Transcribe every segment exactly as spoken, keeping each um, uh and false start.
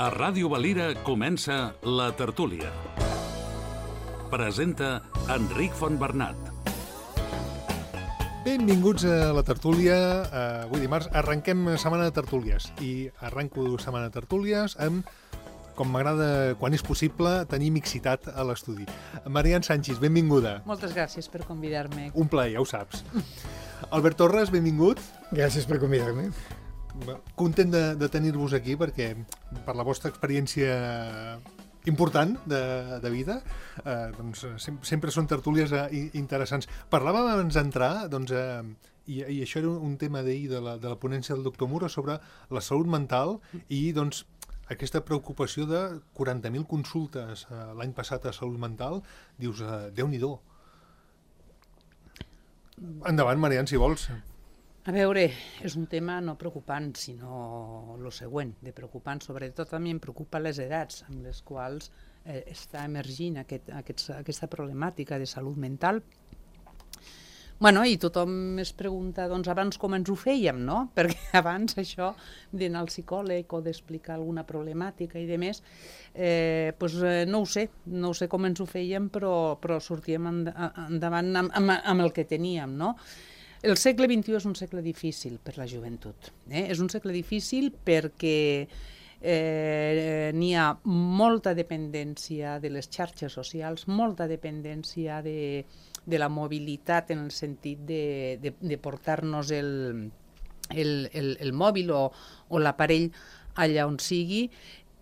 A Ràdio Valira comença La Tertúlia. Presenta Enric Fontbernat. Benvinguts a La Tertúlia. Avui dimarts arrenquem setmana de tertúlies i arrenco setmana de tertúlies amb, com m'agrada quan és possible, tenir mixitat a l'estudi. Marian Sánchez, benvinguda. Moltes gràcies per convidar-me. Un plaer, ja ho saps. Albert Torres, benvingut. Gràcies per convidar-me. Content de, de tenir-vos aquí perquè per la vostra experiència important de, de vida eh, doncs, sem sempre són tertúlies eh, interessants. Parlàvem abans d'entrar doncs, eh, i, i això era un tema d'ahir de, la, de la ponència del doctor Muro sobre la salut mental i doncs, aquesta preocupació de quaranta mil consultes eh, l'any passat a salut mental. Dius, eh, Déu-n'hi-do. Endavant, Marian, si vols. A veure, és un tema no preocupant, sinó el següent, de preocupant. Sobretot també em preocupa les edats amb les quals eh, està emergint aquest, aquest, aquesta problemàtica de salut mental. Bueno, i tothom es pregunta, doncs, abans com ens ho fèiem, no? Perquè abans això d'anar al psicòleg o d'explicar alguna problemàtica i demés, eh, pues, eh, no ho sé, no ho sé com ens ho fèiem, però, però sortíem endavant amb, amb, amb el que teníem, no? El segle vint-i-u és un segle difícil per la joventut. Eh? És un segle difícil perquè eh, n'hi ha molta dependència de les xarxes socials, molta dependència de, de la mobilitat en el sentit de, de, de portar-nos el, el, el, el mòbil o, o l'aparell allà on sigui.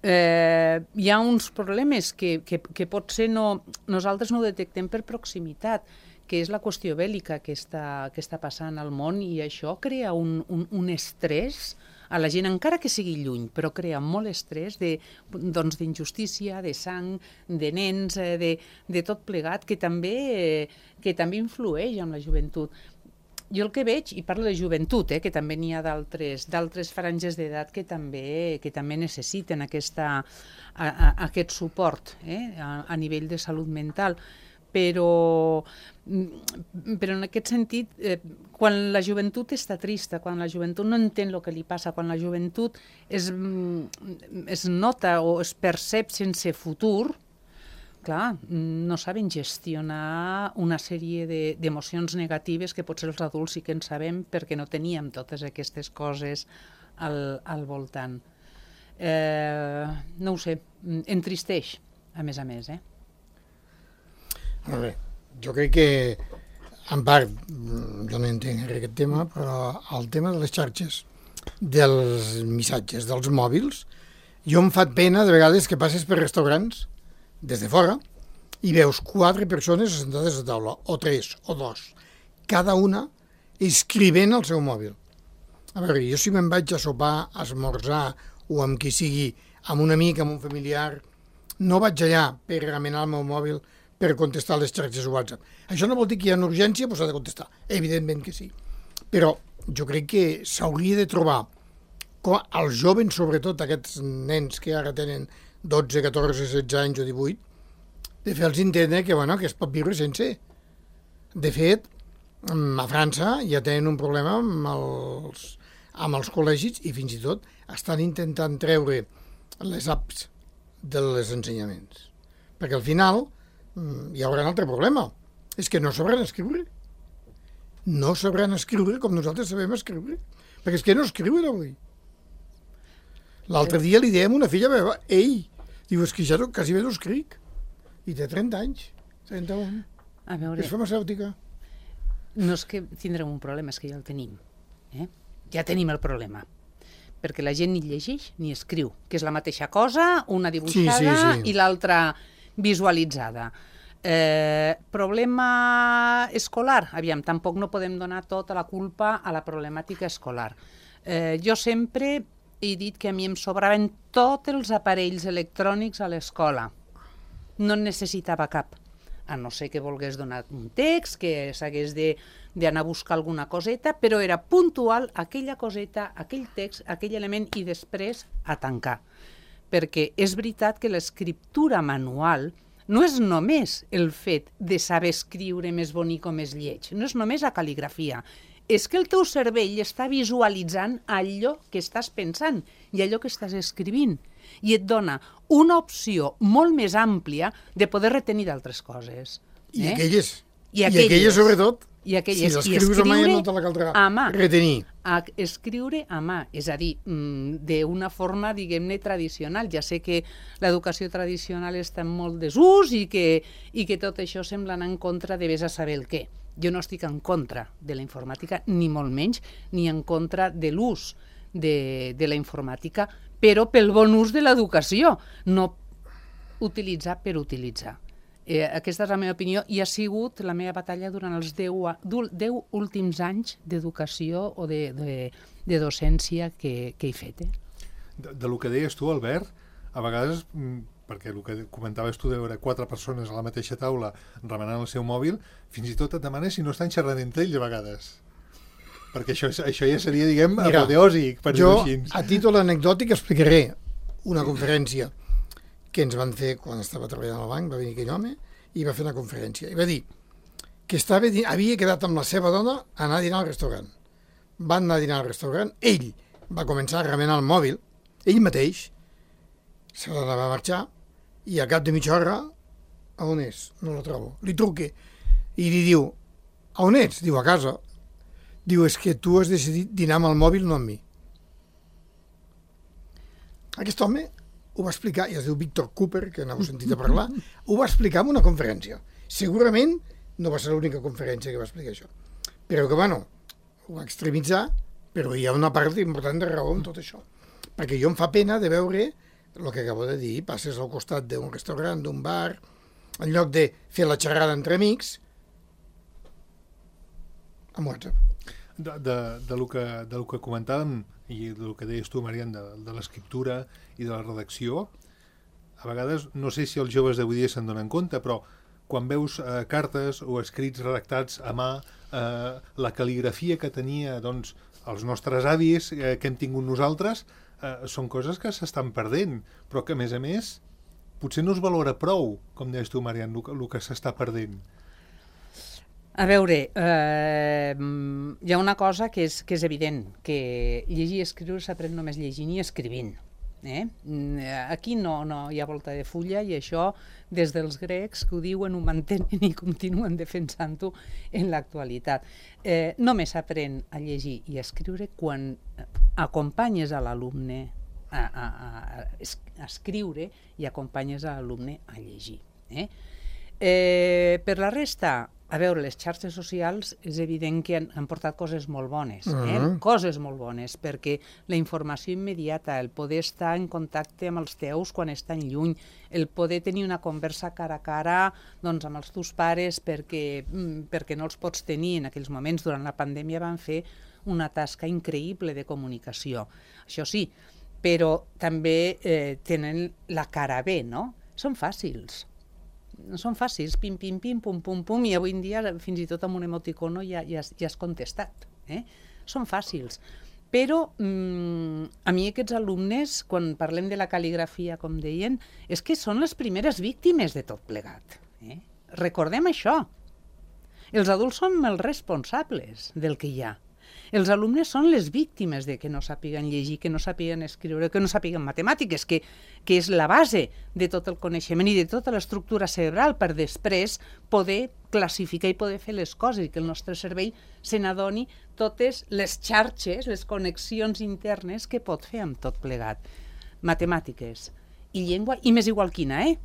Eh, hi ha uns problemes que, que, que potser no, nosaltres no detectem per proximitat, que és la qüestió bèl·lica que està, que està passant al món, i això crea un, un, un estrès a la gent, encara que sigui lluny, però crea molt estrès de, doncs, d'injustícia, de sang, de nens, de, de tot plegat, que també, que també influeix en la joventut. Jo el que veig, i parlo de joventut, eh, que també n'hi ha d'altres d'altres franges d'edat que també, que també necessiten aquesta, a, a, aquest suport eh, a, a nivell de salut mental. Però, però en aquest sentit, eh, quan la joventut està trista, quan la joventut no entén el que li passa, quan la joventut es, es nota o es percep sense futur, clar, no saben gestionar una sèrie d'emocions negatives que potser els adults sí que en sabem perquè no teníem totes aquestes coses al, al voltant. Eh, no ho sé, entristeix, a més a més, eh? Molt bé. Jo crec que, en part, jo no entenc aquest tema, però el tema de les xarxes, dels missatges, dels mòbils, jo em fa pena de vegades que passes per restaurants des de fora i veus quatre persones sentades a taula, o tres, o dos, cada una escrivent al seu mòbil. A veure, jo si me'n vaig a sopar, a esmorzar, o amb qui sigui, amb un amic, amb un familiar, no vaig allà per remenar el meu mòbil per contestar les xarxes WhatsApp. Això no vol dir que hi ha una urgència, però s'ha de contestar. Evidentment que sí. Però jo crec que s'hauria de trobar, com els joves, sobretot aquests nens que ara tenen dotze, catorze, setze anys o divuit, de fer-los entendre que, bueno, que es pot viure sense. De fet, a França ja tenen un problema amb els, amb els col·legis i fins i tot estan intentant treure les apps dels ensenyaments. Perquè al final hi haurà un altre problema, és que no sabran escriure. No sabran escriure com nosaltres sabem escriure, perquè és que no escriuen avui. L'altre dia li dèiem a una filla meva, ei, diu, és que ja no, quasi bé no escric, i té trenta anys, trenta-un, a veure, és farmacèutica. No és que tindrem un problema, és que ja el tenim. Eh? Ja tenim el problema. Perquè la gent ni llegeix ni escriu, que és la mateixa cosa, una dibuixada sí, sí, sí. i l'altra visualitzada. Eh, problema escolar? Aviam, tampoc no podem donar tota la culpa a la problemàtica escolar. Eh, jo sempre he dit que a mi em sobraven tots els aparells electrònics a l'escola. No en necessitava cap. A no ser que volgués donar un text, que s'hagués d'anar a buscar alguna coseta, però era puntual aquella coseta, aquell text, aquell element, i després a tancar. Perquè és veritat que l'escriptura manual no és només el fet de saber escriure més bonic o més lleig, no és només la cal·ligrafia, és que el teu cervell està visualitzant allò que estàs pensant i allò que estàs escrivint i et dona una opció molt més àmplia de poder retenir d'altres coses. I eh? aquelles. I I aquelles. aquelles, sobretot, I aquelles. si l'escrius a mà ja no te la caldrà a mà. retenir. A escriure a mà, és a dir, d'una forma, diguem-ne, tradicional. Ja sé que l'educació tradicional està en molt desús i que, i que tot això sembla anar en contra de vés a saber el què. Jo no estic en contra de la informàtica, ni molt menys, ni en contra de l'ús de, de la informàtica, però pel bon ús de l'educació, no utilitzar per utilitzar. Eh, aquesta és la meva opinió i ha sigut la meva batalla durant els deu, deu últims anys d'educació o de, de, de docència que, que he fet. Eh? De, de lo que deies tu, Albert, a vegades, perquè el que comentaves tu de veure quatre persones a la mateixa taula remenant el seu mòbil, fins i tot et demanes si no estan xerrant entre ells a vegades. Perquè això, això ja seria, diguem, apoteòsic, per dir-ho així. Jo, a títol anecdòtic, explicaré una conferència que ens van fer quan estava treballant al banc, va venir aquell home i va fer una conferència. I va dir que estava, havia quedat amb la seva dona a anar a dinar al restaurant. Van anar a dinar al restaurant, ell va començar a remenar el mòbil, ell mateix, se la va marxar i al cap de mitja hora, a on és? No la trobo. Li truque i li diu, a on ets? Diu, a casa. Diu, és que tu has decidit dinar amb el mòbil, no amb mi. Aquest home ho va explicar, i es diu Víctor Cooper, que n'heu sentit a parlar, ho va explicar en una conferència. Segurament no va ser l'única conferència que va explicar això. Però que, bueno, ho va extremitzar, però hi ha una part important de raó en tot això. Perquè jo em fa pena de veure el que acabo de dir, passes al costat d'un restaurant, d'un bar, en lloc de fer la xerrada entre amics, amb WhatsApp. De, de, de, lo que, de lo que comentàvem i del que deies tu, Marian, de, de l'escriptura i de la redacció, a vegades, no sé si els joves d'avui dia se'n donen compte, però quan veus eh, cartes o escrits redactats a mà, eh, la cal·ligrafia que tenia doncs, els nostres avis, eh, que hem tingut nosaltres, eh, són coses que s'estan perdent, però que, a més a més, potser no es valora prou, com deies tu, Marian, el, el que s'està perdent. A veure, eh, hi ha una cosa que és, que és evident, que llegir i escriure s'aprèn només llegint i escrivint. Eh? Aquí no, no hi ha volta de fulla i això des dels grecs que ho diuen, ho mantenen i continuen defensant-ho en l'actualitat. Eh, només s'aprèn a llegir i a escriure quan acompanyes a l'alumne a, a, a, a escriure i acompanyes a l'alumne a llegir. Eh? Eh, per la resta, a veure, les xarxes socials és evident que han, han portat coses molt bones, eh? Uh-huh. Coses molt bones, perquè la informació immediata, el poder estar en contacte amb els teus quan estan lluny, el poder tenir una conversa cara a cara doncs, amb els teus pares perquè, perquè no els pots tenir en aquells moments. Durant la pandèmia van fer una tasca increïble de comunicació. Això sí, però també eh, tenen la cara B, no? Són fàcils. No són fàcils, pim, pim, pim, pum, pum, pum, i avui en dia fins i tot amb un emoticono ja, ja, ja has contestat. Eh? Són fàcils. Però mmm, a mi aquests alumnes, quan parlem de la cal·ligrafia, com deien, és que són les primeres víctimes de tot plegat. Eh? Recordem això. Els adults som els responsables del que hi ha. Els alumnes són les víctimes de que no sàpiguen llegir, que no sàpiguen escriure, que no sàpiguen matemàtiques, que, que és la base de tot el coneixement i de tota l'estructura cerebral per després poder classificar i poder fer les coses i que el nostre cervell se n'adoni totes les xarxes, les connexions internes que pot fer amb tot plegat. Matemàtiques i llengua, i més igual quina, eh?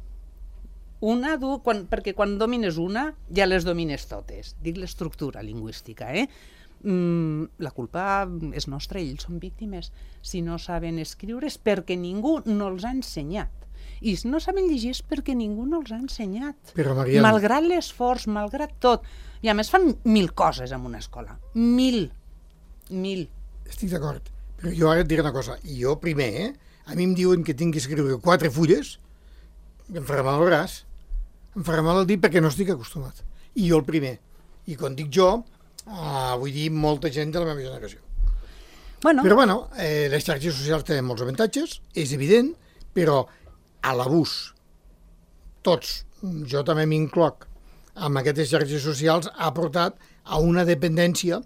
Una, du, quan, perquè quan domines una ja les domines totes. Dic l'estructura lingüística, eh? Mm, la culpa és nostra, ells són víctimes. Si no saben escriure és perquè ningú no els ha ensenyat. I si no saben llegir és perquè ningú no els ha ensenyat. Però, Marian... Malgrat l'esforç, malgrat tot. I a més fan mil coses en una escola. Mil. Mil. Estic d'acord. Però jo ara et diré una cosa. Jo primer, eh? A mi em diuen que tinc que escriure quatre fulles i em farà mal el braç. Em farà mal el dit perquè no estic acostumat. I jo el primer. I quan dic jo... Ah, vull dir molta gent de la meva generació. Bueno. Però bueno, eh, les xarxes socials tenen molts avantatges, és evident, però a l'abús, tots, jo també m'incloc, amb aquestes xarxes socials ha portat a una dependència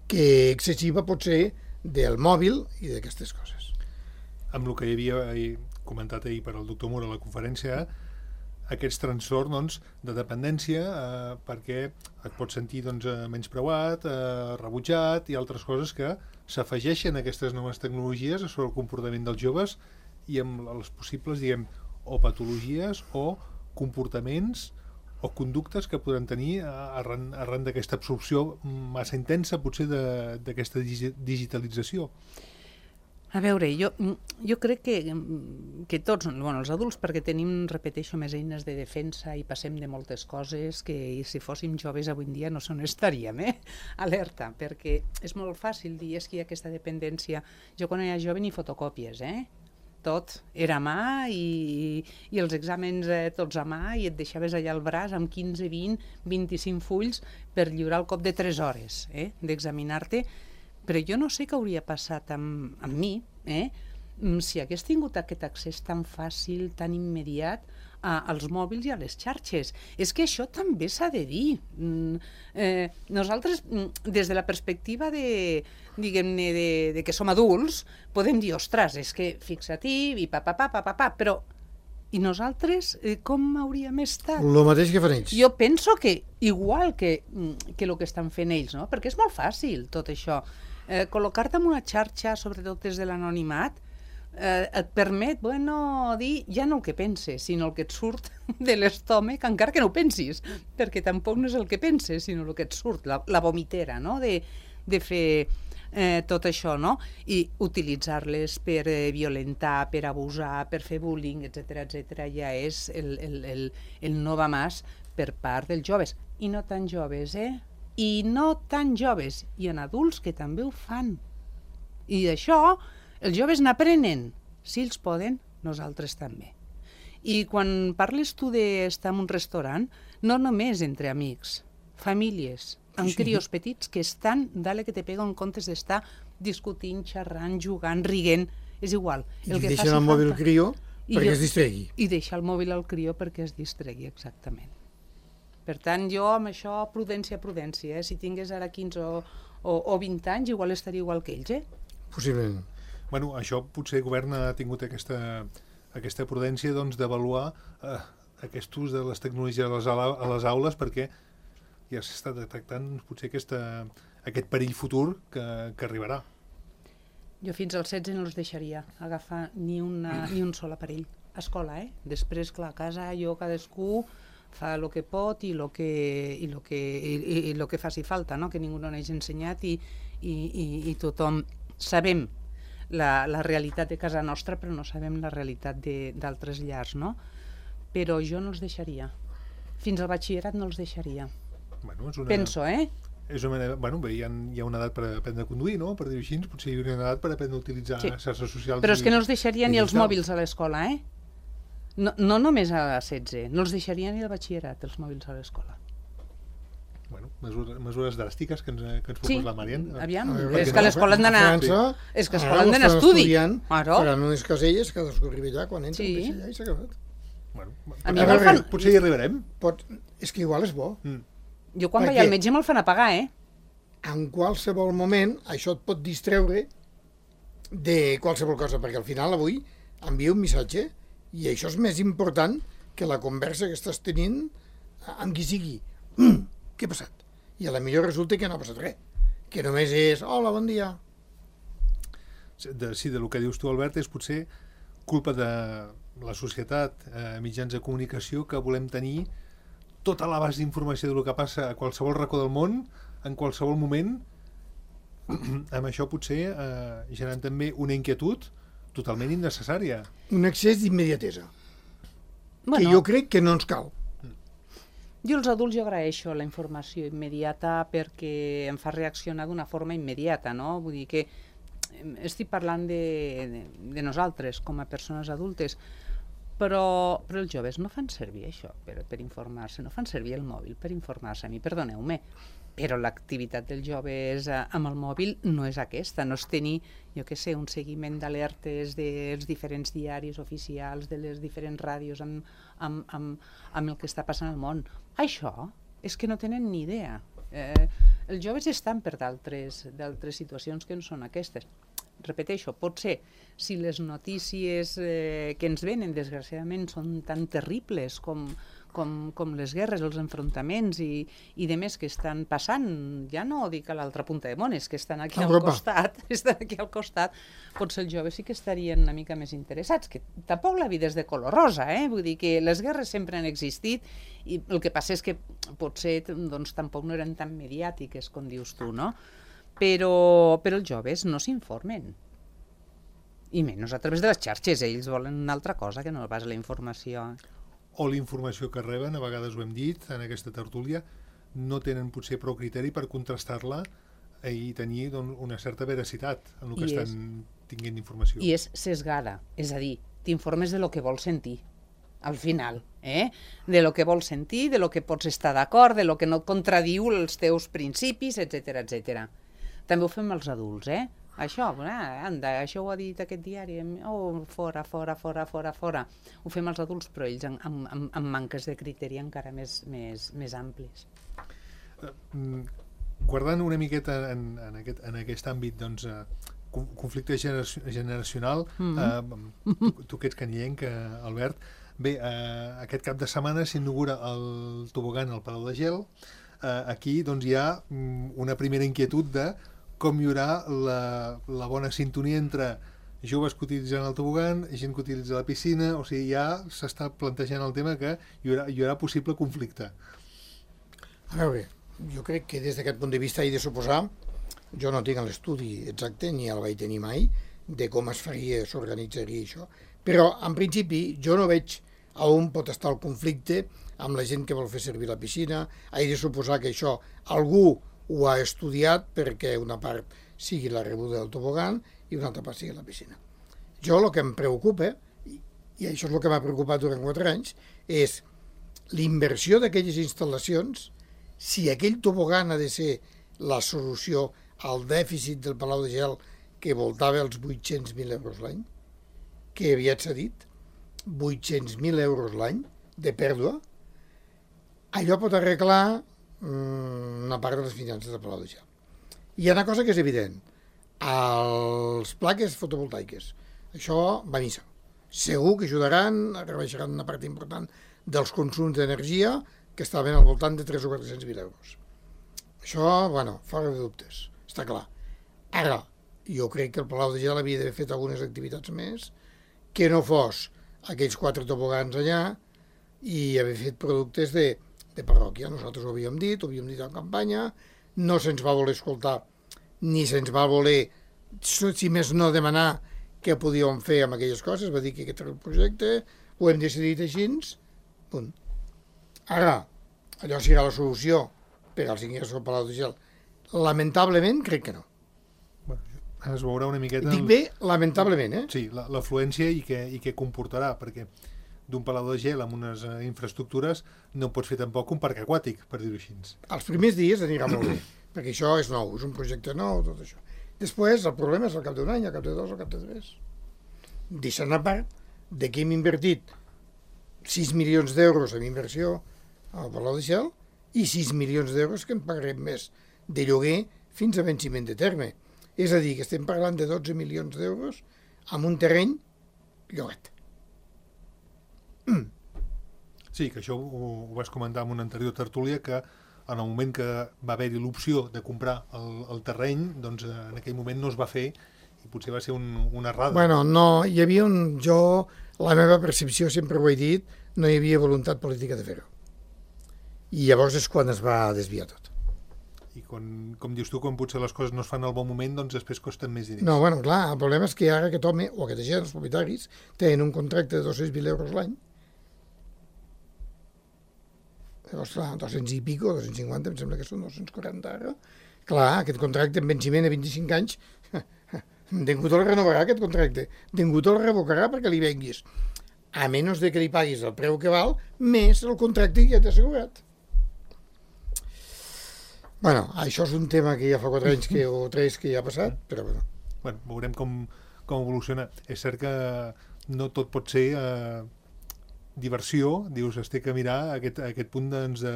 que excessiva pot ser del mòbil i d'aquestes coses. Amb el que hi havia ahir, comentat ahir per al doctor Mura a la conferència, aquests trastorns doncs, de dependència eh, perquè et pots sentir doncs, menyspreuat, eh, rebutjat i altres coses que s'afegeixen a aquestes noves tecnologies sobre el comportament dels joves i amb les possibles, diguem, o patologies o comportaments o conductes que podran tenir arran, arran d'aquesta absorció massa intensa potser d'aquesta digitalització. A veure, jo, jo crec que, que tots, bueno, els adults, perquè tenim, repeteixo, més eines de defensa i passem de moltes coses que si fóssim joves avui en dia no se n'estaríem, eh? Alerta, perquè és molt fàcil dir és que hi ha aquesta dependència. Jo quan era jove ni fotocòpies, eh? Tot era a mà i, i els exàmens eh, tots a mà i et deixaves allà al braç amb quinze, vint, vint-i-cinc fulls per lliurar al cop de tres hores eh, d'examinar-te. Però jo no sé què hauria passat amb, amb mi eh, si hagués tingut aquest accés tan fàcil, tan immediat a, als mòbils i a les xarxes. És que això també s'ha de dir. Mm, eh, nosaltres, des de la perspectiva de, diguem-ne, de, de que som adults, podem dir, ostres, és que fixa-t'hi, i pa, pa, pa, pa, pa, pa, però i nosaltres eh, com hauríem estat? El mateix que fan ells. Jo penso que igual que, que el que estan fent ells, no? Perquè és molt fàcil tot això. Eh, col·locar-te en una xarxa, sobretot des de l'anonimat, eh, et permet, bueno, dir ja no el que penses, sinó el que et surt de l'estómac, encara que no ho pensis, perquè tampoc no és el que penses, sinó el que et surt, la, la vomitera, no?, de, de fer eh, tot això, no?, i utilitzar-les per eh, violentar, per abusar, per fer bullying, etcètera, etcètera, ja és el, el, el, el no va más per part dels joves, i no tan joves, eh?, i no tan joves, i en adults que també ho fan. I d'això els joves n'aprenen. Si ells poden, nosaltres també. I quan parles tu d'estar en un restaurant, no només entre amics, famílies, amb sí. crios petits que estan, dale que te pega en comptes d'estar discutint, xerrant, jugant, riguent, és igual. I el que deixen el mòbil al crió perquè jo, es distregui. I deixar el mòbil al crió perquè es distregui, exactament. Per tant, jo amb això, prudència, prudència. Eh? Si tingués ara quinze o, o, o vint anys, igual estaria igual que ells, eh? Possiblement. Bueno, això potser el govern ha tingut aquesta, aquesta prudència doncs, d'avaluar eh, aquest ús de les tecnologies a les, a les aules perquè ja s'està detectant potser aquesta, aquest perill futur que, que arribarà. Jo fins als setze no els deixaria agafar ni, una, ni un sol aparell. A escola, eh? Després, clar, a casa, jo, cadascú fa el que pot i el que, i lo que, i, i, i lo que faci falta, no? Que ningú no n'hagi ensenyat i, i, i, i tothom sabem la, la realitat de casa nostra, però no sabem la realitat d'altres llars, no? Però jo no els deixaria. Fins al batxillerat no els deixaria. Bueno, és una... Penso, eh? És una manera, bueno, bé, hi, ha, hi ha una edat per aprendre a conduir, no? Per dir-ho així, potser hi ha una edat per aprendre a utilitzar sí. xarxes socials. Però és que no els deixaria ni els mòbils a l'escola, eh? No, no només a setze, no els deixaria ni al batxillerat, els mòbils a l'escola. Bueno, mesures, mesures dràstiques que ens, que ens proposa sí, la Marian. Aviam, veure, és que a l'escola han d'anar... És que a l'escola han d'anar a estudi. Faran unes caselles, cadascú arriba allà, quan entra, sí. allà i s'ha acabat. Bueno, a mi me'l fan... Potser hi arribarem. Pot... És que igual és bo. Mm. Jo quan vaig al metge me'l fan a pagar, eh? En qualsevol moment això et pot distreure de qualsevol cosa, perquè al final avui envia un missatge i això és més important que la conversa que estàs tenint amb qui sigui. Mm, què ha passat? I a la millor resulta que no ha passat res, que només és hola, bon dia. De, sí, del que dius tu, Albert, és potser culpa de la societat, eh, mitjans de comunicació, que volem tenir tota l'abast d'informació del que passa a qualsevol racó del món, en qualsevol moment. Amb això potser eh, generant també una inquietud totalment innecessària. Un excés d'immediatesa. Bueno, que jo crec que no ens cal. Jo als adults jo agraeixo la informació immediata perquè em fa reaccionar d'una forma immediata, no? Vull dir que estic parlant de, de, de nosaltres com a persones adultes, però, però els joves no fan servir això per, per informar-se, no fan servir el mòbil per informar-se. A mi, perdoneu-me, però l'activitat dels joves amb el mòbil no és aquesta, no és tenir, jo què sé, un seguiment d'alertes dels diferents diaris oficials, de les diferents ràdios amb, amb, amb, amb el que està passant al món. Això és que no tenen ni idea. Eh, Els joves estan per d'altres d'altres situacions que no són aquestes. Repeteixo, potser si les notícies eh, que ens venen, desgraciadament, són tan terribles com, com, com les guerres, els enfrontaments i, i de més que estan passant, ja no dic a l'altra punta de mones, que estan aquí al Europa. costat, estan aquí al costat, potser els joves sí que estarien una mica més interessats, que tampoc la vida és de color rosa, eh? Vull dir que les guerres sempre han existit i el que passa és que potser doncs, tampoc no eren tan mediàtiques, com dius tu, no? Però, però els joves no s'informen. I menys a través de les xarxes. Ells volen una altra cosa que no pas la informació. O la informació que reben, a vegades ho hem dit en aquesta tertúlia, no tenen potser prou criteri per contrastar-la i tenir doncs, una certa veracitat en el que I estan és, tinguent informació. I és sesgada. És a dir, t'informes de lo que vols sentir. Al final, eh? De lo que vols sentir, de lo que pots estar d'acord, de lo que no et contradiu els teus principis, etcètera, etcètera. També ho fem els adults, eh? Això, ah, anda, això ho ha dit aquest diari, oh, fora, fora, fora, fora, fora. Ho fem els adults, però ells amb, amb, amb manques de criteri encara més, més, més amplis. Guardant una miqueta en, en, aquest, en aquest àmbit, doncs, eh, conflicte generacional, mm-hmm. eh, tu, tu que ets canyenc, Albert, bé, eh, aquest cap de setmana s'inaugura el tobogan al Palau de Gel. Eh, aquí doncs, hi ha una primera inquietud de com hi haurà la, la bona sintonia entre joves que utilitzen el tobogan, gent que utilitza la piscina, o sigui, ja s'està plantejant el tema que hi haurà, hi haurà possible conflicte. A veure, jo crec que des d'aquest punt de vista he de suposar, jo no tinc l'estudi exacte, ni el vaig tenir mai, de com es faria, s'organitzaria això, però en principi jo no veig a on pot estar el conflicte amb la gent que vol fer servir la piscina. He de suposar que això algú ho ha estudiat perquè una part sigui la rebuda del tobogan i una altra part sigui la piscina. Jo el que em preocupa, i això és el que m'ha preocupat durant quatre anys, és l'inversió d'aquelles instal·lacions, si aquell tobogan ha de ser la solució al dèficit del Palau de Gel que voltava els vuit-cents mil euros l'any, que aviat s'ha dit, vuit-cents mil euros l'any de pèrdua, allò pot arreglar una part de les finances del Palau de Gel. Hi ha una cosa que és evident. Els plaques fotovoltaiques. Això va a missa. Segur que ajudaran, rebaixaran una part important dels consums d'energia que estaven al voltant de tres o quatre-cents mil euros. Això, bueno, fora de dubtes. Està clar. Ara, jo crec que el Palau de Gel havia d'haver fet algunes activitats més que no fos aquells quatre tobogans allà i haver fet productes de de parròquia. Nosaltres ho havíem dit, ho havíem dit en campanya, no se'ns va voler escoltar ni se'ns va voler, si més no, demanar què podíem fer amb aquelles coses, va dir que aquest era el projecte, ho hem decidit així, punt. Ara, allò serà la solució per als ingressos al Palau de Gel. Lamentablement, crec que no. Bueno, es veurà una miqueta... Dic bé, lamentablement, eh? Sí, l'afluència i què, i què comportarà, perquè d'un Palau de Gel amb unes uh, infraestructures no pots fer tampoc un parc aquàtic, per dir-ho així. Els primers dies anirà molt bé, perquè això és nou, és un projecte nou, tot això. Després el problema és al cap d'un any, al cap de dos, al cap de tres. Deixant a part de que hem invertit sis milions d'euros en inversió al Palau de Gel i sis milions d'euros que en pagarem més de lloguer fins a venciment de terme. És a dir, que estem parlant de dotze milions d'euros amb un terreny llogat. Mm. Sí, que això ho, ho vas comentar en una anterior tertúlia, que en el moment que va haver-hi l'opció de comprar el, el terreny, doncs en aquell moment no es va fer i potser va ser un, una errada. Bueno, no, hi havia un... Jo, la meva percepció, sempre ho he dit, no hi havia voluntat política de fer-ho. I llavors és quan es va desviar tot. I quan, com dius tu, quan potser les coses no es fan al bon moment, doncs després costen més diners. No, bueno, clar, el problema és que ara aquest home, o aquesta gent, els propietaris, tenen un contracte de dos-cents mil euros l'any. Llavors, clar, dos-cents i pico, dos-cents cinquanta, em sembla que són dos-cents quaranta ara. Clar, aquest contracte en venciment a vint-i-cinc anys, ningú te'l renovarà, aquest contracte. Ningú te'l revocarà perquè li venguis. A menys de que li paguis el preu que val, més el contracte que ja t'ha assegurat. Bueno, això és un tema que ja fa quatre anys que, o tres que ja ha passat, però bueno. Bueno, veurem com, com evoluciona. És cert que no tot pot ser... Eh... diversió, dius, es té que mirar a aquest, a aquest punt doncs, de,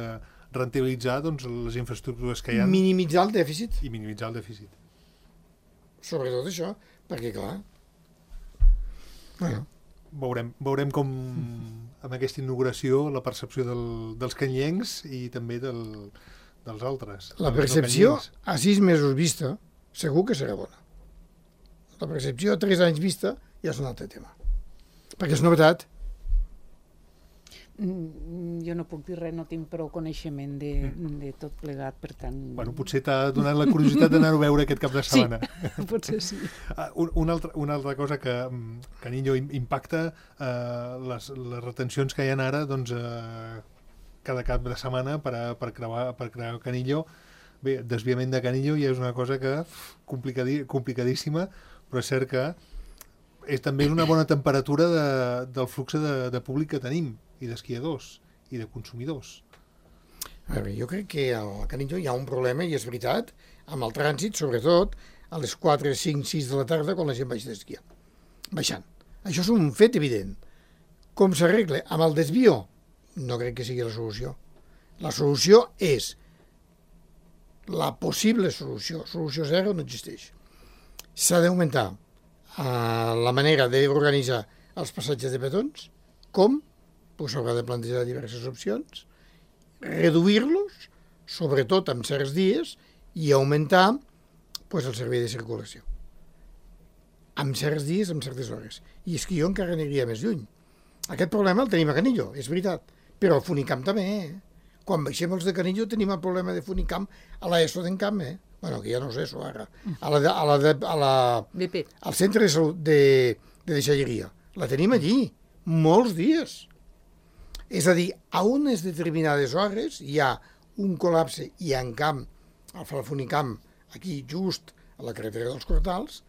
rentabilitzar doncs, les infraestructures que hi ha Minimitzar el dèficit, i minimitzar el dèficit. sobretot això, perquè clar... Bueno, Veurem, veurem com amb aquesta inauguració la percepció del, dels canyencs i també del, dels altres. la dels no percepció canyencs. a sis mesos vista segur que serà bona. La percepció a tres anys vista ja és un altre tema. Perquè és novetat. Mm, Jo no puc dir res, no tinc prou coneixement de, de tot plegat, per tant... Bueno, potser t'ha donat la curiositat d'anar-ho a veure aquest cap de sí, setmana. potser sí. Ah, un, una, altra, una altra cosa que mm, Canillo im- impacta, eh, les, les retencions que hi ha ara, doncs, eh, cada cap de setmana per, a, per, creuar, per crear Canillo. Bé, desviament de Canillo ja és una cosa que uf, complicadi, complicadíssima, però és cert que és també una bona temperatura de, del flux de, de públic que tenim, i d'esquiadors, i de consumidors. A veure, jo crec que al Canillo hi ha un problema, i és veritat, amb el trànsit, sobretot a les quatre, cinc, sis de la tarda, quan la gent baixa d'esquiar. Baixant. Això és un fet evident. Com s'arregla? Amb el desvio? No crec que sigui la solució. La solució és la possible solució. Solució zero no existeix. S'ha d'augmentar eh, la manera d'organitzar els passatges de petons. Com? Pues s'haurà de plantejar diverses opcions, reduir-los, sobretot en certs dies, i augmentar pues, el servei de circulació. En certs dies, en certes hores. I és que jo encara aniria més lluny. Aquest problema el tenim a Canillo, és veritat, però al Funicamp també. Eh? Quan baixem els de Canillo tenim el problema de Funicamp a l'ESO d'Encamp, eh? Bueno, que ja no és ESO ara. A la, de, a la, de, a la, B P. al centre de salut de, de deixalleria. La tenim allí, molts dies. És a dir, a unes determinades hores hi ha un col·lapse i en camp, al Funicamp, aquí just a la carretera dels Cortals,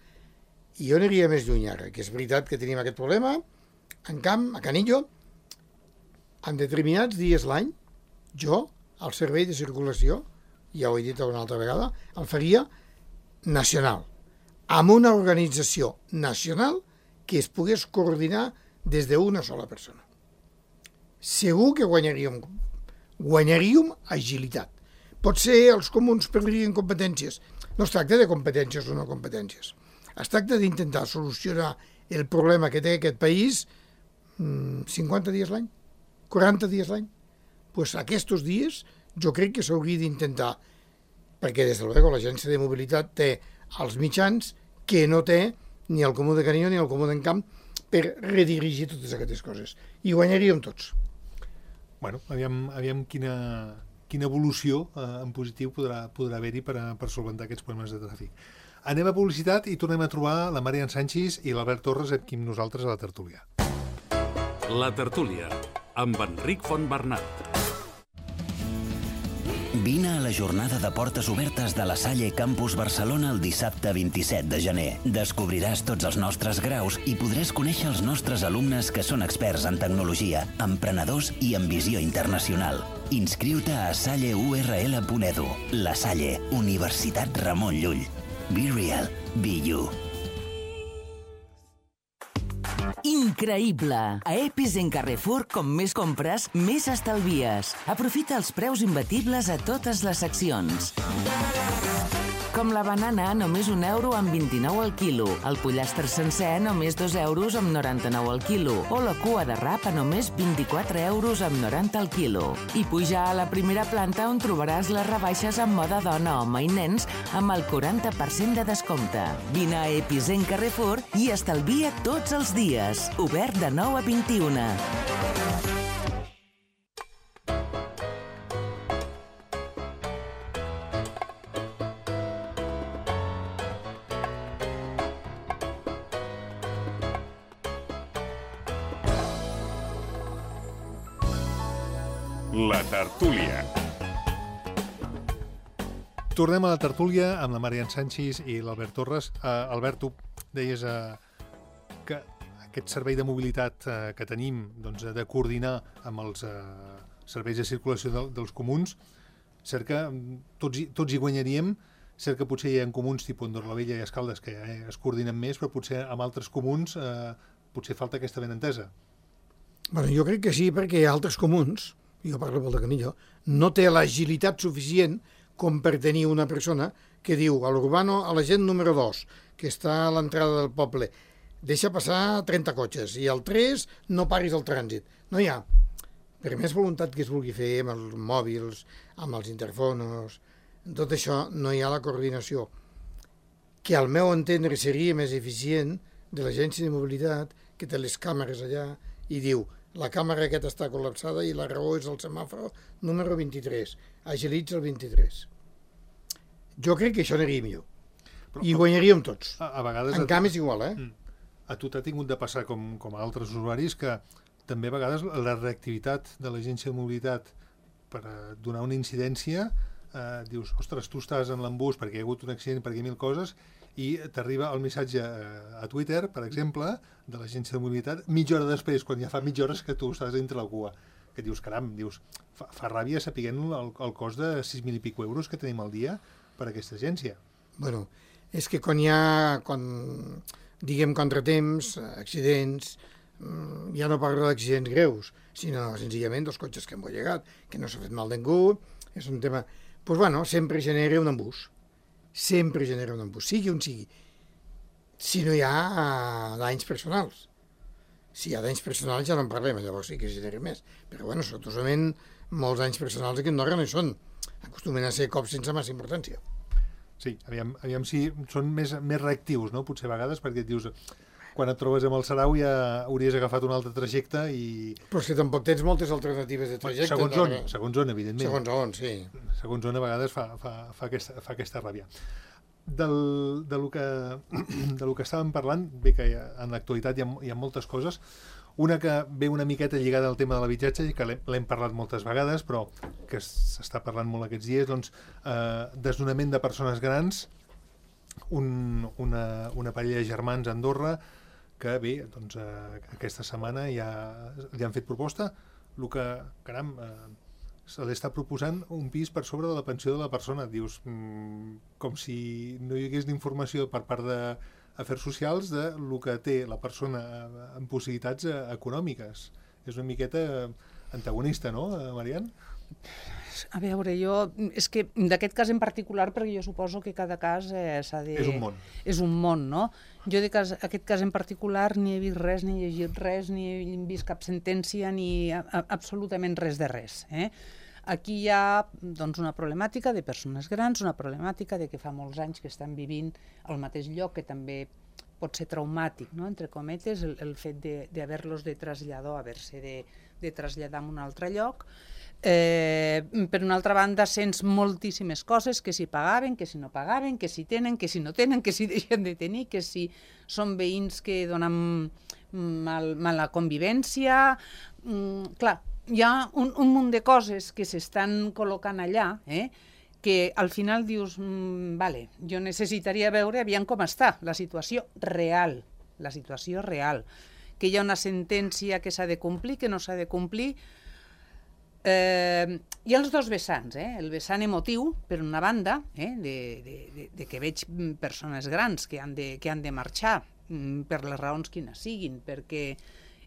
i jo aniria més lluny ara, que és veritat que tenim aquest problema, en camp, a Canillo, en determinats dies l'any, jo, al servei de circulació, ja ho he dit una altra vegada, el faria nacional, amb una organització nacional que es pogués coordinar des d'una sola persona. Segur que guanyaríem, guanyaríem agilitat. Potser els comuns perdrien competències. No es tracta de competències o no competències. Es tracta d'intentar solucionar el problema que té aquest país cinquanta dies l'any, quaranta dies l'any. Pues aquests dies jo crec que s'hauria d'intentar, perquè des de luego l'Agència de Mobilitat té els mitjans que no té ni el Comú de Canillo ni el Comú d'Encamp per redirigir totes aquestes coses. I guanyaríem tots. Bueno, aviam, aviam quina, quina evolució eh, en positiu podrà, podrà haver-hi per, a, per solventar aquests problemes de tràfic. Anem a publicitat i tornem a trobar la Marian Sanchis i l'Albert Torres aquí amb nosaltres a la tertúlia. La tertúlia, amb Enric Fontbernat. Vine a la jornada de portes obertes de la Salle Campus Barcelona el dissabte vint-i-set de gener. Descobriràs tots els nostres graus i podràs conèixer els nostres alumnes que són experts en tecnologia, emprenedors i en visió internacional. Inscriu-te a salle u erre ele punt edu. La Salle, Universitat Ramon Llull. Be real, be you. Increïble! A Epicent Carrefour, com més compres, més estalvies. Aprofita els preus imbatibles a totes les seccions. Com la banana, només un euro amb vint-i-nou al quilo. El pollastre sencer, només dos euros amb noranta-nou al quilo. O la cua de rap a només vint-i-quatre euros amb noranta al quilo. I puja a la primera planta on trobaràs les rebaixes en moda dona, home i nens amb el quaranta per cent de descompte. Vine a Epicent Carrefour i estalvia tots els dies. Obert de nou a vint-i-una. La tertúlia. Tornem a la tertúlia amb la Marian Sanchis i l'Albert Torres. Uh, Albert, tu deies uh, que aquest servei de mobilitat uh, que tenim doncs, de coordinar amb els uh, serveis de circulació de, dels comuns, cert que tots hi, tots hi guanyaríem, cert que potser hi ha comuns tipus Andorra la Vella i Escaldes que eh, es coordinen més, però potser amb altres comuns eh, potser falta aquesta benentesa. Bueno, jo crec que sí, perquè hi ha altres comuns, jo parlo pel de Canillo, no té l'agilitat suficient com per tenir una persona que diu a l'Urbano, a la gent número dos, que està a l'entrada del poble, deixa passar trenta cotxes i al tres no paris el trànsit. No hi ha. Per més voluntat que es vulgui fer amb els mòbils, amb els interfonos, tot això no hi ha la coordinació, que al meu entendre seria més eficient de l'agència de mobilitat, que té les càmeres allà i diu la càmera aquesta està col·lapsada i la raó és el semàfor número vint-i-tres. Agilitza el vint-i-tres. Jo crec que això aniria millor. Però, I guanyaríem tots. A, a vegades... En canvi és igual, eh? A tu t'ha tingut de passar, com, com a altres usuaris, que també a vegades la reactivitat de l'agència de mobilitat per donar una incidència, eh, dius, ostres, tu estàs en l'embús perquè hi ha hagut un accident, perquè hi ha mil coses, i t'arriba el missatge a Twitter, per exemple, de l'agència de mobilitat, mitja hora després, quan ja fa mitja hora que tu estàs entre la cua, que dius, caram, dius, fa, fa ràbia sapiguent el, el cost de sis mil i pico euros que tenim al dia per a aquesta agència. Bueno, és que quan hi ha, quan, diguem, contratemps, accidents, ja no parlo d'accidents greus, sinó senzillament dels cotxes que hem bollegat, que no s'ha fet mal ningú, és un tema... Doncs, pues, bueno, sempre genera un embús. Sempre genera un embús, sigui on sigui. Si no hi ha danys personals. Si hi ha danys personals ja no en parlem, llavors sí que genera més. Però, bueno, sortosament, molts danys personals aquí a Andorra no hi són. Acostumen a ser cops sense massa importància. Sí, aviam, aviam si són més, més reactius, no? Potser a vegades, perquè et dius, quan et trobes amb el Sarau ja hauries agafat un altre trajecte i... Però és que tampoc tens moltes alternatives de trajecte. Segons on, segons on, evidentment. Segons on, sí. Segons on a vegades fa, fa, fa, aquesta, fa aquesta ràbia. Del, de, lo que, de lo que estàvem parlant, bé que ha, en l'actualitat hi, hi ha moltes coses. Una que ve una miqueta lligada al tema de l'habitatge i que l'hem parlat moltes vegades, però que s'està parlant molt aquests dies, doncs, eh, desnonament de persones grans, un, una, una parella de germans a Andorra que bé, doncs, eh, aquesta setmana ja li han fet proposta, el que, caram, eh, se li està proposant un pis per sobre de la pensió de la persona. Dius, mm, com si no hi hagués informació per part d'afers socials de lo que té la persona amb possibilitats econòmiques. És una miqueta antagonista, no, Marian? A veure, jo... És que d'aquest cas en particular, perquè jo suposo que cada cas eh, s'ha de... És un món. És un món, no? Jo d'aquest cas en particular ni he vist res, ni he llegit res, ni he vist cap sentència, ni a, a, absolutament res de res. Eh? Aquí hi ha doncs, una problemàtica de persones grans, una problemàtica de que fa molts anys que estan vivint al mateix lloc, que també pot ser traumàtic, no? Entre cometes, el, el fet d'haver-los de, de traslladar, haver-se de, de traslladar a un altre lloc. Eh, per una altra banda, sents moltíssimes coses, que si pagaven, que si no pagaven, que si tenen, que si no tenen, que si deixen de tenir, que si són veïns que donen mal, mala convivència. Mm, clar, hi ha un, un munt de coses que s'estan col·locant allà, eh, que al final dius, mm, vale, jo necessitaria veure aviam com està la situació real, la situació real, que hi ha una sentència que s'ha de complir, que no s'ha de complir. Eh, hi ha els dos vessants, eh? El vessant emotiu, per una banda, eh? de, de, de, de que veig persones grans que han de, que han de marxar mm, per les raons quines siguin, perquè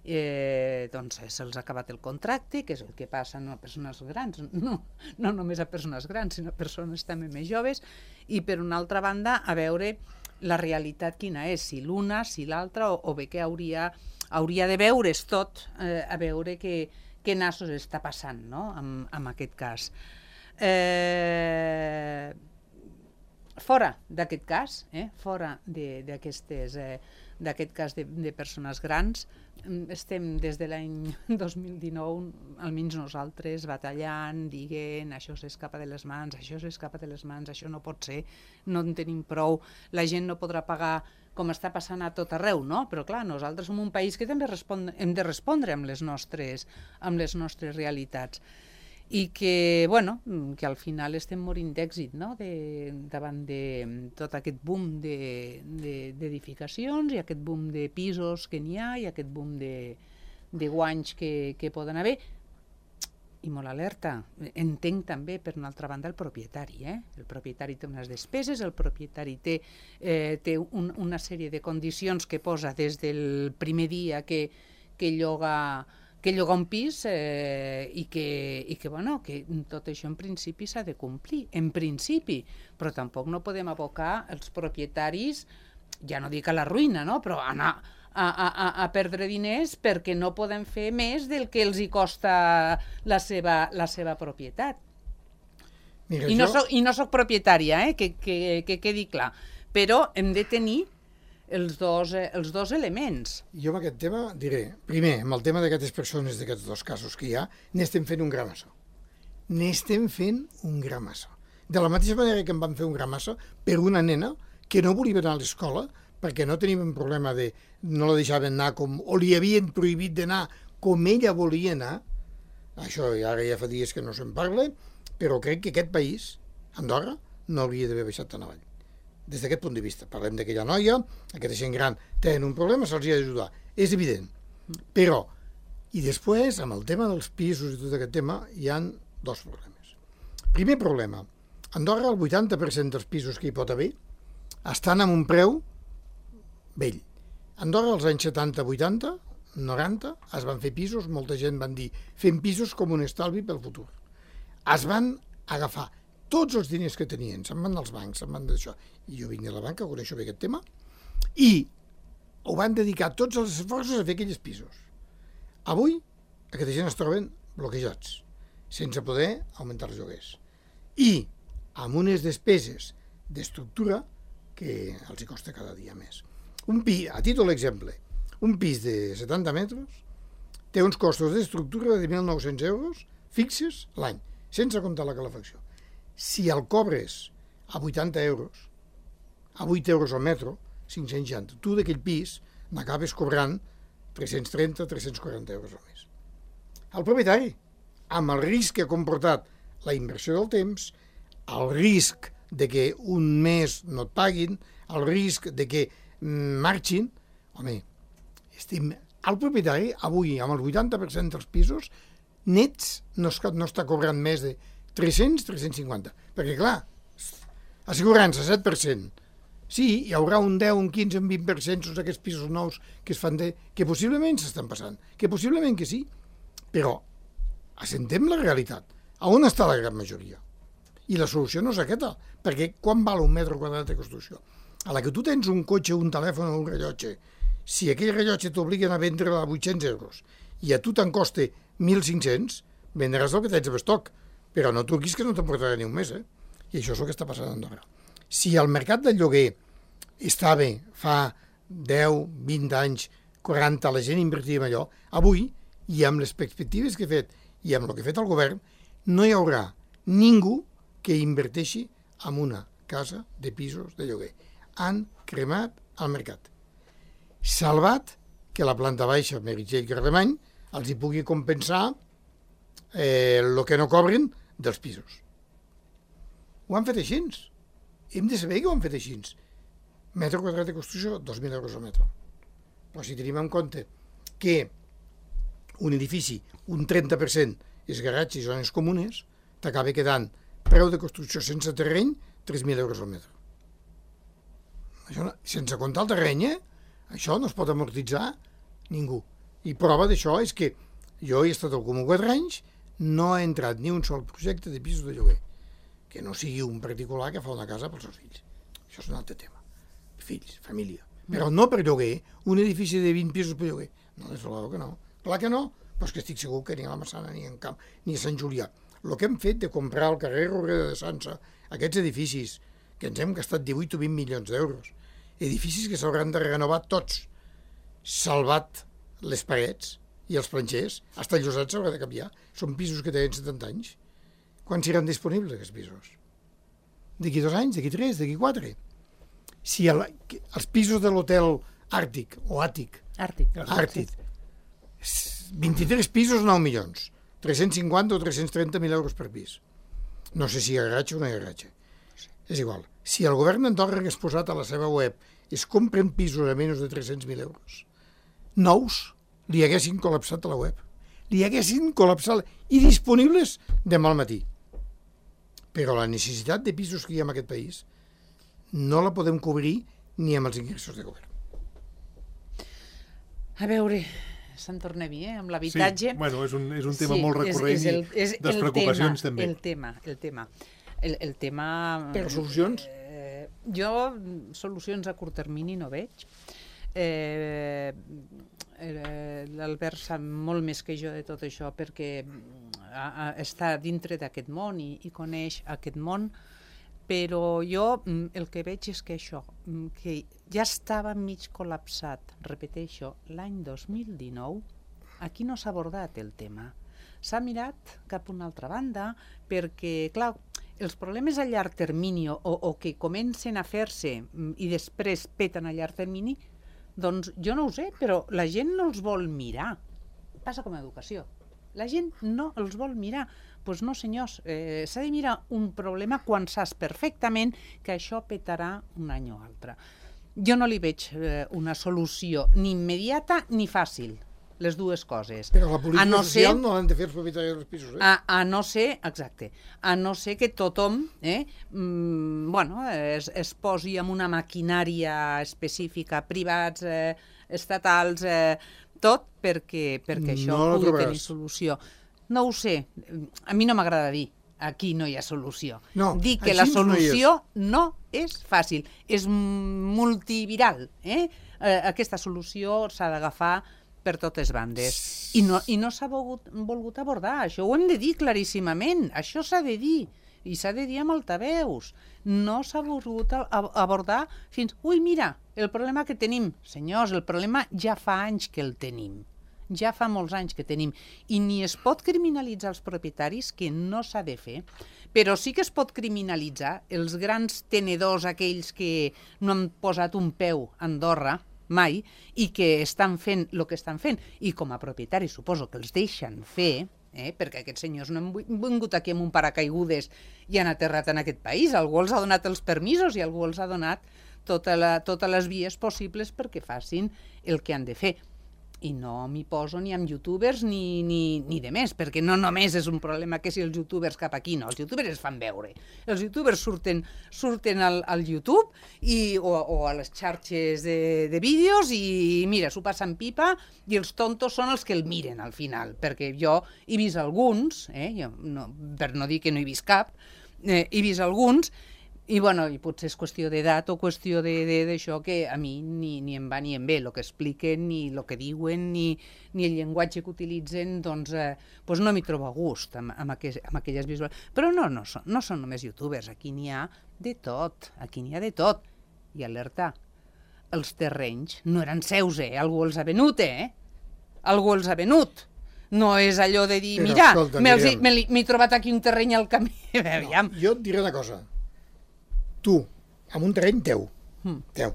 eh, doncs se'ls ha acabat el contracte, que és el que passa no a persones grans, no, no només a persones grans, sinó a persones també més joves, i per una altra banda a veure la realitat quina és, si l'una, si l'altra, o, o bé que hauria, hauria de veure's tot, eh, a veure que què nassos està passant, no?, amb, amb aquest cas. Eh, fora d'aquest cas, eh, fora d'aquestes, eh, d'aquest cas de, de persones grans, estem des de l'any dos mil dinou, almenys nosaltres, batallant, dient, això s'escapa de les mans, això s'escapa de les mans, això no pot ser, no en tenim prou, la gent no podrà pagar com està passant a tot arreu, no? Però clar, nosaltres som un país que també respon hem de respondre amb les nostres, amb les nostres realitats. I que, bueno, que al final estem morint d'èxit, no?, de, davant de tot aquest boom d'edificacions de, de, i aquest boom de pisos que n'hi ha i aquest boom de, de guanys que, que poden haver. I molt alerta, entenc també per una altra banda el propietari, eh? El propietari té unes despeses, el propietari té, eh, té un, una sèrie de condicions que posa des del primer dia que, que lloga que llogar un pis eh, i, que, i que, bueno, que tot això en principi s'ha de complir, en principi, però tampoc no podem abocar els propietaris, ja no dic a la ruïna, no? Però anar a, a, a perdre diners perquè no poden fer més del que els hi costa la seva, la seva propietat. Mira, I no, jo... soc, I no soc propietària, eh? que, que, que quedi clar, però hem de tenir els dos, eh, els dos elements. Jo amb aquest tema diré, primer, amb el tema d'aquestes persones, d'aquests dos casos que hi ha, n'estem fent un gramasso. N'estem fent un gramasso. De la mateixa manera que em van fer un gramasso per una nena que no volia anar a l'escola perquè no teníem un problema de no la deixaven anar com, o li havien prohibit d'anar com ella volia anar. Això ara ja fa dies que no se'n parla, però crec que aquest país, Andorra, no hauria d'haver baixat tan avall. Des d'aquest punt de vista. Parlem d'aquella noia, aquesta gent gran tenen un problema, se'ls ha d'ajudar. És evident. Però, i després, amb el tema dels pisos i tot aquest tema, hi han dos problemes. Primer problema, a Andorra el vuitanta per cent dels pisos que hi pot haver estan amb un preu vell. A Andorra als anys setanta, vuitanta, noranta, es van fer pisos, molta gent van dir, fem pisos com un estalvi pel futur. Es van agafar tots els diners que tenien, se'n van als bancs, se'n van d'això. I jo vinc de la banca, coneixo bé aquest tema, i ho van dedicar tots els esforços a fer aquells pisos. Avui, aquesta gent es troben bloquejats, sense poder augmentar els lloguers. I amb unes despeses d'estructura que els hi costa cada dia més. Un pis, a títol d'exemple, un pis de setanta metres té uns costos d'estructura de mil nou-cents euros fixes l'any, sense comptar la calefacció. Si el cobres a vuitanta euros, a vuit euros al metro, cinc-cents seixanta, tu d'aquell pis n'acabes cobrant tres-cents trenta, tres-cents quaranta euros al mes. El propietari, amb el risc que ha comportat la inversió del temps, el risc de que un mes no et paguin, el risc de que marxin, home, estim... el propietari avui, amb el vuitanta per cent dels pisos, nets no, no està cobrant més de tres-cents, tres-cents cinquanta. Perquè, clar, assegurança, set per cent. Sí, hi haurà un deu, un quinze, un vint per cent sobre aquests pisos nous que es fan de... que possiblement s'estan passant, que possiblement que sí, però assentem la realitat. A on està la gran majoria? I la solució no és aquesta, perquè quan val un metre quadrat de construcció? A la que tu tens un cotxe, un telèfon o un rellotge, si aquell rellotge t'obliguen a vendre a vuit-cents euros i a tu te'n costa mil cinc-cents, vendràs el que tens a estoc, però no truquis que no te'n portarà ni un mes, eh? I això és el que està passant a Andorra. Si el mercat del lloguer estava fa deu, vint anys, quaranta, la gent invertia en allò, avui, i amb les perspectives que he fet i amb el que ha fet el govern, no hi haurà ningú que inverteixi en una casa de pisos de lloguer. Han cremat el mercat. Salvat que la planta baixa, Meritxell i Carlemany, els hi pugui compensar eh, el que no cobren dels pisos. Ho han fet així. Hem de saber que ho han fet així. Metre quadrat de construcció, dos mil euros al metre. Però si tenim en compte que un edifici, un trenta per cent és garatge i zones comunes, t'acaba quedant preu de construcció sense terreny, tres mil euros al metre. Això no, sense comptar el terreny, eh? Això no es pot amortitzar ningú. I prova d'això és que jo he estat al Comú quatre anys, no ha entrat ni un sol projecte de pisos de lloguer, que no sigui un particular que fa una casa pels seus fills. Això és un altre tema. Fills, família. Però no per lloguer, un edifici de vint pisos per lloguer. No, des de que no. Clar que no, però és que estic segur que ni a la Massana, ni a Camp, ni a Sant Julià. El que hem fet de comprar al carrer Roreda de Sança, aquests edificis, que ens hem gastat divuit o vint milions d'euros, edificis que s'hauran de renovar tots, salvat les parets i els planxers, fins el llosat s'haurà de canviar. Són pisos que tenen setanta anys. Quan seran disponibles aquests pisos? D'aquí dos anys, d'aquí tres, d'aquí quatre? Si el, els pisos de l'hotel Àrtic o Àtic, Àrtic, Àrtic, vint-i-tres pisos, nou milions, tres-cents cinquanta o tres-cents trenta mil euros per pis. No sé si hi ha garatge o no hi ha garatge. És igual. Si el govern d'Andorra hagués posat a la seva web es compren pisos a menys de tres-cents mil euros, nous li haguessin col·lapsat a la web. Li haguessin col·lapsat i disponibles demà al matí. Però la necessitat de pisos que hi ha en aquest país no la podem cobrir ni amb els ingressos de govern. A veure, Sant Tornem-hi, eh? Amb l'habitatge. Sí, bueno, és un, és un tema sí, molt recurrent és, és el, és i les preocupacions tema, també. El tema, el tema. El, el tema... Però solucions? Eh, jo solucions a curt termini no veig. Eh, eh, L'Albert sap molt més que jo de tot això perquè a, a, està dintre d'aquest món i, i coneix aquest món, però jo el que veig és que això, que ja estava mig col·lapsat, repeteixo, l'any dos mil dinou, aquí no s'ha abordat el tema. S'ha mirat cap a una altra banda perquè, clar, els problemes a llarg termini o, o que comencen a fer-se i després peten a llarg termini, doncs jo no ho sé, però la gent no els vol mirar. Passa com a educació. La gent no els vol mirar. Doncs pues no, senyors, eh, s'ha de mirar un problema quan saps perfectament que això petarà un any o altre. Jo no li veig eh, una solució ni immediata ni fàcil, les dues coses. Però la política no social ser, no l'han de fer els propietaris dels pisos, eh? A, a no ser, exacte, a no ser que tothom eh, mm, bueno, es, es posi amb una maquinària específica, privats, eh, estatals, eh, tot perquè, perquè això No la pugui trobaràs. tenir solució. No ho sé, a mi no m'agrada dir aquí no hi ha solució. No, Dir que així la no hi solució no és fàcil, és multiviral. Eh? Eh, aquesta solució s'ha d'agafar per totes bandes. I no, i no s'ha volgut, volgut abordar. Això ho hem de dir claríssimament. Això s'ha de dir. I s'ha de dir amb altaveus. No s'ha volgut abordar fins... Ui, mira, el problema que tenim. Senyors, el problema ja fa anys que el tenim. Ja fa molts anys que tenim. I ni es pot criminalitzar els propietaris, que no s'ha de fer, però sí que es pot criminalitzar els grans tenedors, aquells que no han posat un peu a Andorra, mai, i que estan fent el que estan fent. I com a propietaris suposo que els deixen fer, eh? Perquè aquests senyors no han vingut aquí amb un paracaigudes i han aterrat en aquest país. Algú els ha donat els permisos i algú els ha donat tota la, totes les vies possibles perquè facin el que han de fer. I no m'hi poso ni amb youtubers ni, ni, ni de més, perquè no només és un problema que si els youtubers cap aquí, no, els youtubers es fan veure. Els youtubers surten, surten al, al YouTube i, o, o a les xarxes de, de vídeos i mira, s'ho passen pipa i els tontos són els que el miren al final, perquè jo he vist alguns, eh, jo no, per no dir que no he vist cap, eh, he vist alguns. I, bueno, i potser és qüestió d'edat o qüestió d'això que a mi ni, ni em va ni em ve. El que expliquen, ni el que diuen, ni, ni el llenguatge que utilitzen, doncs, eh, doncs no m'hi trobo a gust amb, amb, aqu amb aquelles visuals. Però no, no, són, no són només youtubers, aquí n'hi ha de tot, aquí n'hi ha de tot. I alerta, els terrenys no eren seus, eh? Algú els ha venut, eh? Algú els ha venut. No és allò de dir, Però, mira, escolta, m'he trobat aquí un terreny al camí. No, jo et diré una cosa. Tu, amb un terreny teu, mm. teu,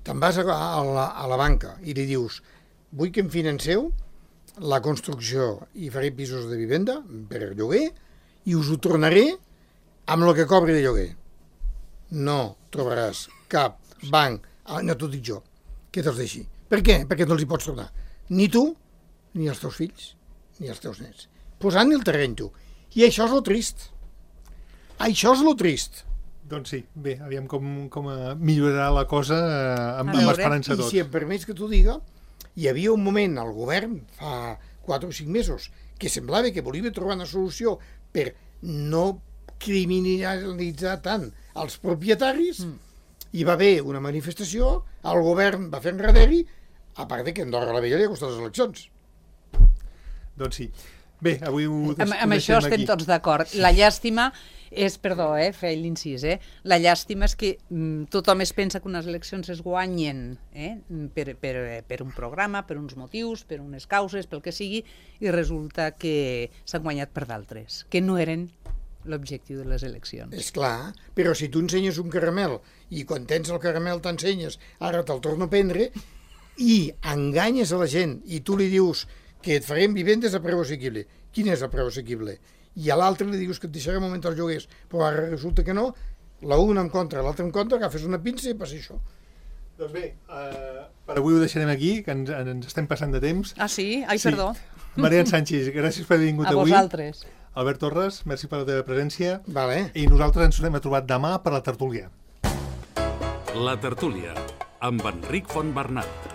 te'n vas a, a, la, a la banca i li dius vull que em financeu la construcció i faré pisos de vivenda per lloguer i us ho tornaré amb el que cobri de lloguer. No trobaràs cap banc, no t'ho dic jo, que te'ls deixi. Per què? Perquè no els hi pots tornar. Ni tu, ni els teus fills, ni els teus nets. Posant el terreny tu. I això és lo trist. Això és lo trist. Doncs sí, bé, aviam com, com millorarà la cosa eh, amb, amb esperança I tots. si em permets que t'ho diga, hi havia un moment al govern, fa quatre o cinc mesos, que semblava que volia trobar una solució per no criminalitzar tant els propietaris, mm. hi va haver una manifestació, el govern va fer enrere-hi, a part de que Andorra la Vella li ha costat les eleccions. Doncs sí. Bé, avui ho, amb, amb això estem aquí. Tots d'acord. La llàstima és, perdó, eh, fer l'incís, eh? La llàstima és que mm, tothom es pensa que unes eleccions es guanyen eh? per, per, per un programa, per uns motius, per unes causes, pel que sigui, i resulta que s'han guanyat per d'altres, que no eren l'objectiu de les eleccions. És clar, però si tu ensenyes un caramel i quan tens el caramel t'ensenyes, ara te'l torno a prendre, i enganyes a la gent i tu li dius que et farem vivendes a preu assequible. Quin és el preu assequible? I a l'altre li dius que et deixarem augmentar els lloguers, però ara resulta que no, l'una en contra, l'altra en contra, agafes una pinça i passa això. Doncs bé, uh, per avui ho deixarem aquí, que ens, ens estem passant de temps. Ah, sí? Ai, sí. Perdó. Marian Sánchez, gràcies per haver vingut a avui. A vosaltres. Albert Torres, merci per la teva presència. Vale. I nosaltres ens tornem a trobar demà per la tertúlia. La tertúlia, amb Enric Fontbernat.